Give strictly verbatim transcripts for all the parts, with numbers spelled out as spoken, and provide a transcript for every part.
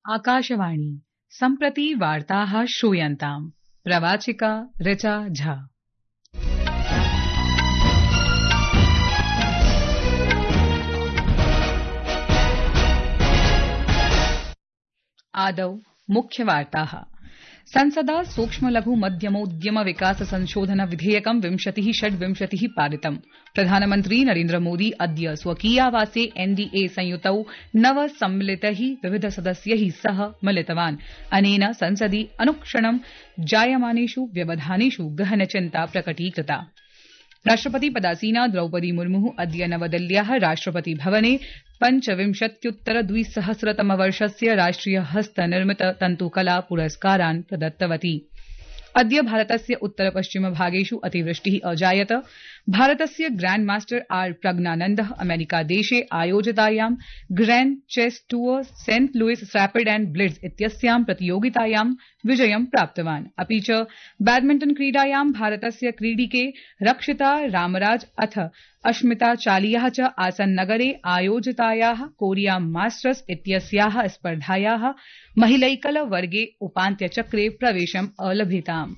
आकाशवाणी सम्प्रति वार्ताः श्रूयन्ताम्। प्रवाचिका ऋचा झा। आदौ मुख्यवार्ताः। संसदा सूक्ष्म लघु मध्यमोद्यम विकास संशोधन विधेयकं विंशतिः षड्विंशतिः पारितम्। प्रधानमन्त्री नरेन्द्र मोदी अद्य स्वकीयावासे एनडीए संयुतौ नव सम्मिलितैः विविध सदस्यैः सह मिलितवान्। अनेन संसदि अनुक्षणं जायमानेषु व्यवधानेषु गहनचिन्ता प्रकटीकृता। राष्ट्रपति पदासीना द्रौपदी मुर्मु अद्य नवदिल्ल्याः राष्ट्रपति भवने पञ्चविंशत्युत्तर द्विसहस्रतमवर्षस्य राष्ट्रिय हस्तनिर्मित तन्तुकला पुरस्कारान् प्रदत्तवती। अद्य भारतस्य उत्तर पश्चिम भागेषु अतिवृष्टिः अजायत। भारतस्य ग्रैंड मास्टर आर प्रज्ञानन्दः अमेरिकादेशे आयोजितायां grand chess tour Saint Louis rapid and blitz इत्यस्यां प्रतियोगितायां विजयं प्राप्तवान्। अपि च बैडमिंटन क्रीडायां भारतस्य क्रीडिके रक्षिता रामराज अथ अश्मिता चालियाः च आसन्नगरे आयोजितायाः कोरिया मास्टर्स इत्यस्याः स्पर्धायाः महिलैकल वर्गे उपान्त्यचक्रे प्रवेशम् अलभिताम्।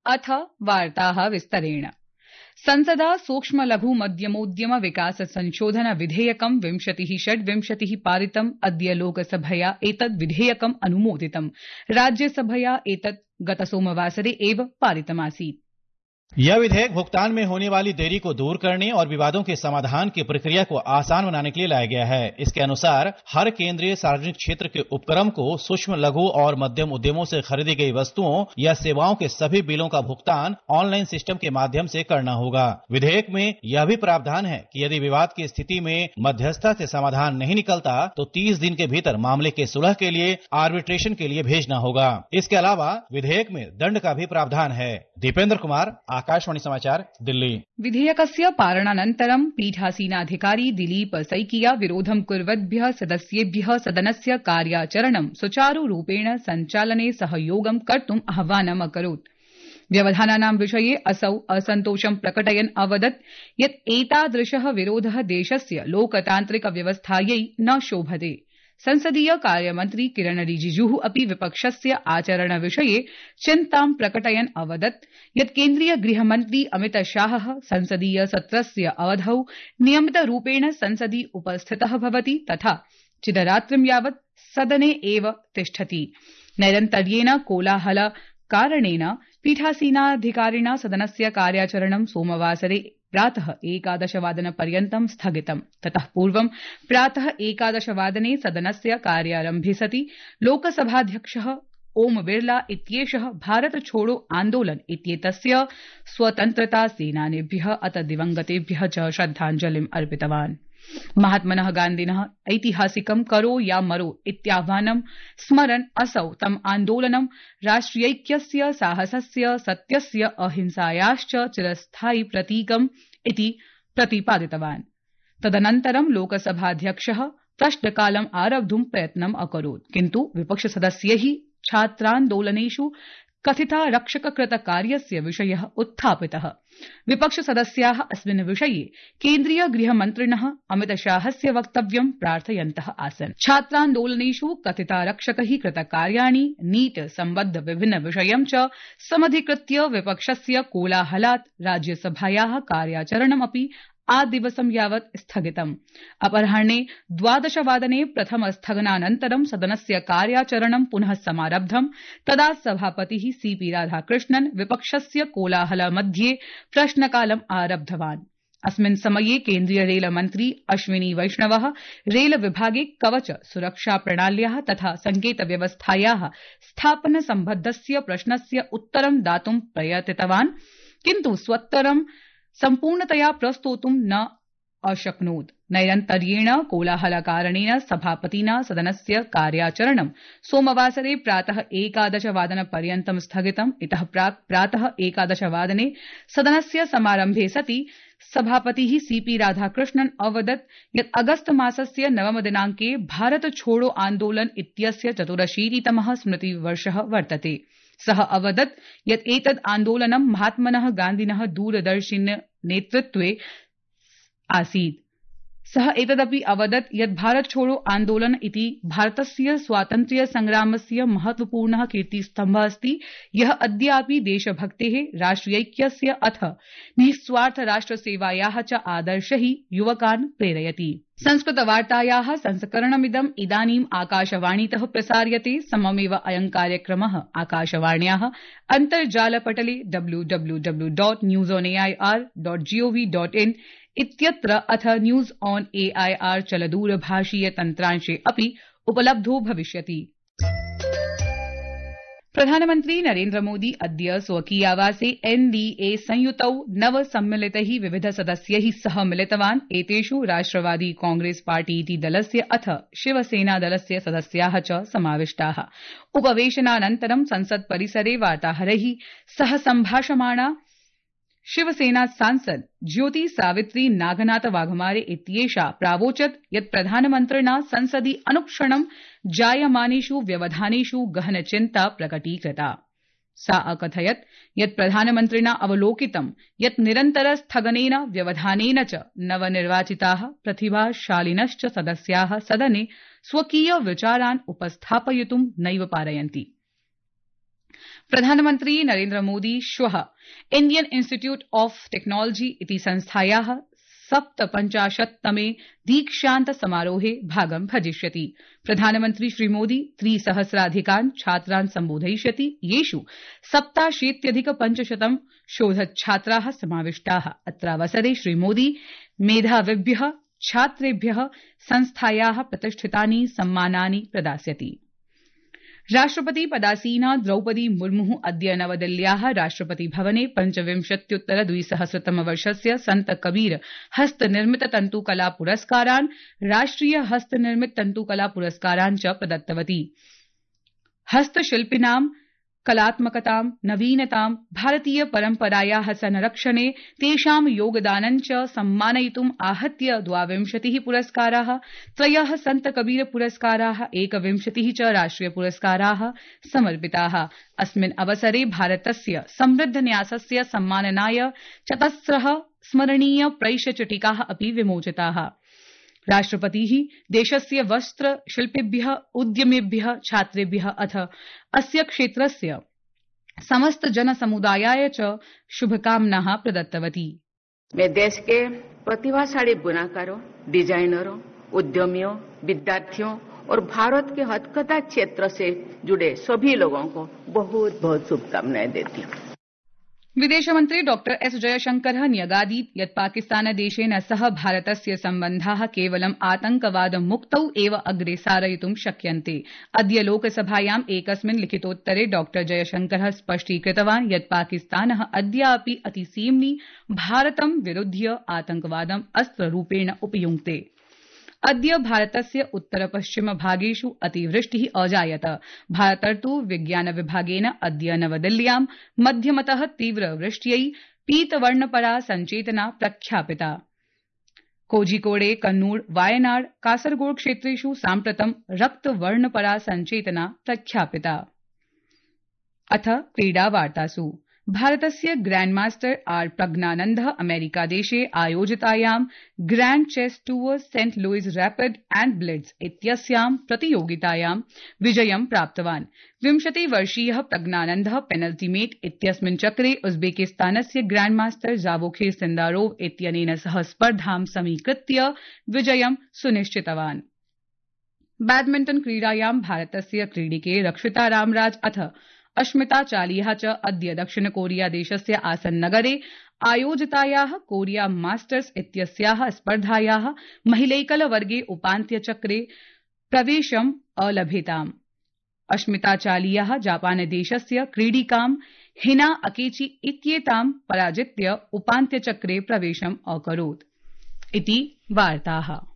अथ वार्ताः विस्तरेण। संसदा सूक्ष्म लघु मध्यमोद्यम विकास संशोधन विधेयकं विंशतिः षड्विंशतिः पारितम्। अद्य लोकसभया एतद् विधेयकम् अनुमोदितम्। राज्यसभया एतत् गतसोमवासरे एव पारितमासीत्। यह विधेयक भुगतान में होने वाली देरी को दूर करने और विवादों के समाधान की प्रक्रिया को आसान बनाने के लिए लाया गया है। इसके अनुसार हर केंद्रीय सार्वजनिक क्षेत्र के उपक्रम को सूक्ष्म लघु और मध्यम उद्यमों से खरीदी गई वस्तुओं या सेवाओं के सभी बिलों का भुगतान ऑनलाइन सिस्टम के माध्यम से करना होगा। विधेयक में यह भी प्रावधान है कि यदि विवाद की स्थिति में मध्यस्थता से समाधान नहीं निकलता तो तीस दिन के भीतर मामले के सुलह के लिए आर्बिट्रेशन के लिए भेजना होगा। इसके अलावा विधेयक में दंड का भी प्रावधान है। दीपेंद्र कुमार, आकाशवाणी समाचार, दिल्ली। विधेयकस्य पालनानन्तरं पीठासीनाधिकारी दिलीप सैकिया विरोधं कुर्वद्भ्यः सदस्येभ्यः सदनस्य कार्याचरणं सुचारुरूपेण सञ्चालने सहयोगं कर्तुम् आह्वानम् अकरोत्। व्यवधानानां विषये असौ असन्तोषं प्रकटयन् अवदत् यत् एतादृशः विरोधः देशस्य लोकतान्त्रिक व्यवस्थायै न शोभते। संसदीय कार्यमन्त्री किरण रिजिजुः अपि विपक्षस्य आचरणविषये चिन्तां प्रकटयन् अवदत् यत् केन्द्रीय गृहमन्त्री अमित शाहः संसदीय सत्रस्य अवधौ नियमितरूपेण संसदि उपस्थितः भवति तथा चिदरात्रिं यावत् सदने एव तिष्ठति। नैरन्तर्येण कोलाहल कारणेन पीठासीनाधिकारिणा सदनस्य कार्याचरणं सोमवासरे प्रातः एकादशवादन पर्यन्तं स्थगितम्। ततः पूर्वं प्रातः एकादशवादने सदनस्य कार्यारम्भे सति लोकसभाध्यक्षः ओम बिरला इत्येषः भारत छोड़ो आन्दोलन इत्येतस्य स्वतन्त्रता सेनानिभ्यः अथ दिवंगतेभ्यः च श्रद्धाञ्जलिम् अर्पितवान्। महात्मनः गान्धिनः ऐतिहासिकं करो या मरो इत्याह्वानं स्मरन् असौ तम् आन्दोलनं राष्ट्रियैक्यस्य, साहसस्य, सत्यस्य, अहिंसायाश्च चिरस्थायि प्रतीकम् इति प्रतिपादितवान्। तदनन्तरं लोकसभाध्यक्षः प्रश्नकालम् आरब्धुं प्रयत्नम् अकरोत्, किन्तु विपक्षसदस्यैः छात्रान्दोलनेषु कथितारक्षककृतकार्यस्य विषयः उत्थापितः। विपक्षसदस्याः अस्मिन् विषये केन्द्रीय गृहमन्त्रिणः अमितशाहस्य वक्तव्यं प्रार्थयन्तः आसन्। छात्रान्दोलनेषु कथितारक्षकैः कृतकार्याणि, नीट सम्बद्ध विभिन्न विषयं च समधिकृत्य विपक्षस्य कोलाहलात् राज्यसभायाः कार्याचरणमपि आदिवसं यावत् स्थगितम्। अपराह्ने द्वादशवादने प्रथमस्थगनानन्तरं सदनस्य कार्याचरणं पुनः समारब्धम्। तदा सभापतिः सीपी राधाकृष्णन् विपक्षस्य कोलाहल मध्ये प्रश्नकालम् आरब्धवान्। अस्मिन् समये केन्द्रीय रेलमन्त्री अश्विनी वैष्णवः रेल विभागे कवच सुरक्षा प्रणाल्याः तथा संकेत व्यवस्थायाः स्थापन सम्बद्धस्य प्रश्नस्य उत्तरं दातुं प्रयतितवान्, किन्तु स्वोत्तरं सम्पूर्णतया प्रस्तोतुं न अशक्नोत्। नैरन्तर्येण कोलाहलकारणेन सभापतिना सदनस्य कार्याचरणं सोमवासरे प्रातः एकादशवादनपर्यन्तं स्थगितम्। इतः प्राक् प्रातः एकादशवादने सदनस्य समारम्भे सति सभापतिः सीपी राधाकृष्णन् अवदत् यत् अगस्त मासस्य नवम दिनांके भारत छोड़ो आन्दोलन इत्यस्य चतुरशीतितमः स्मृतिवर्षः वर्तते। सः अवदत् यत् एतद् आन्दोलनं महात्मनः गान्धिनः दूरदर्शिन नेतृत्वे आसीत्। सः एतदपि अवदत् यत् भारत छोड़ो आन्दोलन इति भारतस्य स्वातन्त्र्य संग्रामस्य महत्वपूर्णः कीर्तिस्तम्भः अस्ति यः अद्यापि देशभक्तेः राष्ट्रियैक्यस्य अथ निःस्वार्थ राष्ट्रसेवायाः च आदर्शैः युवकान् प्रेरयति। संस्कृतवार्तायाः संस्करणमिदम् इदानीम् आकाशवाणीतः प्रसार्यते। सममेव अयं कार्यक्रमः आकाशवाण्याः अन्तर्जालपटले W W W dot news on AIR dot gov dot in इत्यत्र अथ न्यूज ऑन एआईआर चलदूरभाषीय तन्त्रांशे अपि उपलब्धो भविष्यति। प्रधानमन्त्री नरेन्द्र मोदी अद्य स्वकीयावासे एनडीए संयुतौ नव सम्मिलितैः विविध सदस्यैः सह मिलितवान्। एतेषु राष्ट्रवादी कांग्रेस पार्टीति दलस्य अथ शिवसेना दलस्य सदस्याः च समाविष्टाः। उपवेशनानन्तरं संसत् परिसरे वार्ताहरैः सह सम्भाषमाणा शिवसेना सांसद ज्योति सावित्री नागनाथ वाघमारे इत्येषा प्रावोचत् यत् प्रधानमन्त्रिणा संसदि अनुक्षणं जायमानेषु व्यवधानेषु गहन चिन्ता प्रकटीकृता। सा अकथयत् यत् प्रधानमन्त्रिणा अवलोकितं यत् निरन्तर स्थगनेन व्यवधानेन च नवनिर्वाचिताः प्रतिभाशालिनश्च सदस्याः सदने स्वकीय विचारान् उपस्थापयितुं नैव पारयन्ति। प्रधानमन्त्री नरेन्द्र मोदी श्वः इण्डियन इंस्टीट्यूट ऑफ टेक्नोलॉजी इति संस्थायाः सप्तपञ्चाशत्तमे दीक्षान्त समारोहे भागं भजिष्यति। प्रधानमन्त्री श्रीमोदी त्रिसहस्राधिकान् छात्रान् सम्बोधयिष्यति येषु सप्ताशीत्यधिक पञ्चशतं शोधच्छात्राः समाविष्टाः। अत्रावसरे श्रीमोदी मेधाविभ्यः छात्रेभ्यः संस्थायाः प्रतिष्ठितानि सम्मानानि प्रदास्यति। राष्ट्रपति पदासीना द्रौपदी मुर्मु अद्य नवदिल्ल्याः राष्ट्रपति भवने पञ्चविंशत्युत्तर द्विसहस्रतमवर्षस्य सन्त कबीर हस्तनिर्मित तन्तुकला पुरस्कारान् राष्ट्रिय हस्तनिर्मित तन्तुकला पुरस्कारान् च प्रदत्तवती। हस्तशिल्पिनां कलात्मकतां नवीनतां भारतीय परम्परायाः संरक्षणे तेषां योगदानं च सम्मानयितुम् आहत्य द्वाविंशतिः पुरस्काराः, त्रयः सन्त कबीर पुरस्काराः, एकविंशतिः च राष्ट्रिय पुरस्काराः समर्पिताः। अस्मिन् अवसरे भारतस्य समृद्ध न्यासस्य सम्माननाय चतस्रः स्मरणीय प्रैषचिटिकाः अपि विमोचिताः। राष्ट्रपतिः देशस्य वस्त्र शिल्पिभ्यः उद्यमिभ्यः छात्रेभ्यः अथ अस्य क्षेत्रस्य समस्त जनसमुदायाय च शुभकामनाः प्रदत्तवती। मैं देश के प्रतिभाशाली बुनाकारों, डिजाइनरों, उद्यमियों, विद्यार्थियों और भारत के हथकथा क्षेत्र से जुड़े सभी लोगों को बहुत बहुत शुभकामनाएं देती हूँ। विदेशमन्त्री डॉ एस जयशंकरः न्यगादीत् यत् पाकिस्तानदेशेन सह भारतस्य सम्बन्धाः केवलं आतंकवादमुक्तौ एव अग्रे सारयितुं शक्यन्ते। अद्य लोकसभायाम् एकस्मिन् लिखितोत्तरे डॉ जयशंकरः स्पष्टीकृतवान् यत् पाकिस्तानः अद्यापि अतिसीम्नि भारतं विरुध्य आतंकवादम् अस्त्ररूपेण उपयुङ्क्ते। अद्य भारतस्य उत्तर पश्चिम भागेषु अतिवृष्टिः अजायत। भारतर्तु विज्ञान विभागेन अद्य नवदिल्ल्यां मध्यमतः तीव्रवृष्ट्यै पीतवर्णपरा सञ्चेतना प्रख्यापिता। कोझिकोडे, कन्नूर, वायनाड, कासरगोड क्षेत्रेषु साम्प्रतं रक्तवर्णपरा सञ्चेतना प्रख्यापिता। अथ क्रीडावार्तासु भारतस्य ग्रैंडमास्टर आर प्रज्ञानन्दः अमेरिकादेशे आयोजितायां grand chess tour Saint Louis rapid and blitz इत्यस्यां प्रतियोगितायां विजयं प्राप्तवान्। विंशतिवर्षीयः प्रज्ञानन्दः पेनल्टीमेट इत्यस्मिन् चक्रे उज्बेकिस्तानस्य ग्रैंडमास्टर जावोखिर सिन्दारोव इत्यनेन सह स्पर्धां समीकृत्य विजयं सुनिश्चितवान्। बैडमिंटन क्रीडायां भारतस्य क्रीडिके रक्षिता रामराज अथ अश्मिता चालिया च अद्य दक्षिण कोरिया देशस्य आसन्नगरे आयोजितायाः कोरिया मास्टर्स इत्यस्याः स्पर्धायाः महिलैकल वर्गे उपान्त्यचक्रे प्रवेशम् अलभेताम्। अश्मिता चालिया जापानदेशस्य क्रीडिकां हिना अकेची इत्येतां पराजित्य उपान्त्यचक्रे प्रवेशम् अकरोत्। इति वार्ताः।